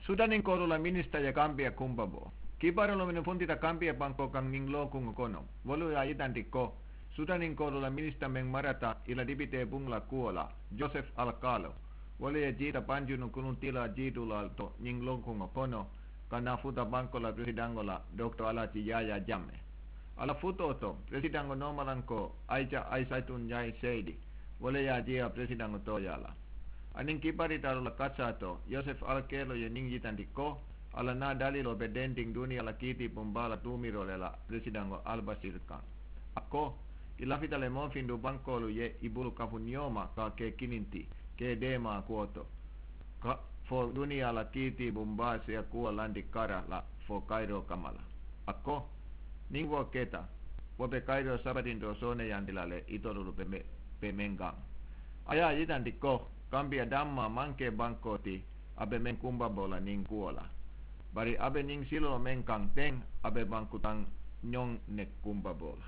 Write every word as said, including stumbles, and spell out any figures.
Sudaninkolu la minisita ye kambiya kumbabo. Kibaarulu menu funtita kambiya bankoo kaŋ niŋ lookuŋo kono, wolu ye a yitandi ko sudaninkolu la minisita meŋ marata i la dipitee buŋ la kuwo la, joseph alkalo, wolu ye jiita banjunu kuluŋ tiila jiidulaalu to ñiŋ lookuŋo kono, ka naa futa bankoo la peresidaŋo la, doktor alaaji yaayaa jamme. A la futoo to, peresidaŋo noomalankoo, aija aisatun ñayi seedi, wo le ye a jiiyaa peresidaŋo tooyaa la. Aniŋ kibaaritaalu la kasaa to, yosef alkeelo ye ñiŋ yitandi ko a la naa daliloo be dendiŋ duniyaa la kiitiibuŋ baa la tuumiroo le la peresidaŋo albasiri kaŋ. A ko, i lafita le moo findu bankoolu ye i bulu kafu niyoo ma ka a ke kiniŋ ti, ke deemaa kuwo to, ka fo duniyaa la kiitiibuŋ baa si a kuwo landi kara la fo kayiroo kamma la. A ko, niŋ wo keta, wo be kayiroo sabatindoo sooneyandi la le itolu be meŋ kaŋ. A ye a yitandi ko kambiya dammaa maŋ ke bankoo ti a be meŋ kumbaboo la niŋ kuwo la, bari a be ñiŋ siloo meŋ kaŋ teŋ, a be banku taŋ ñoŋ ne kumbaboo la.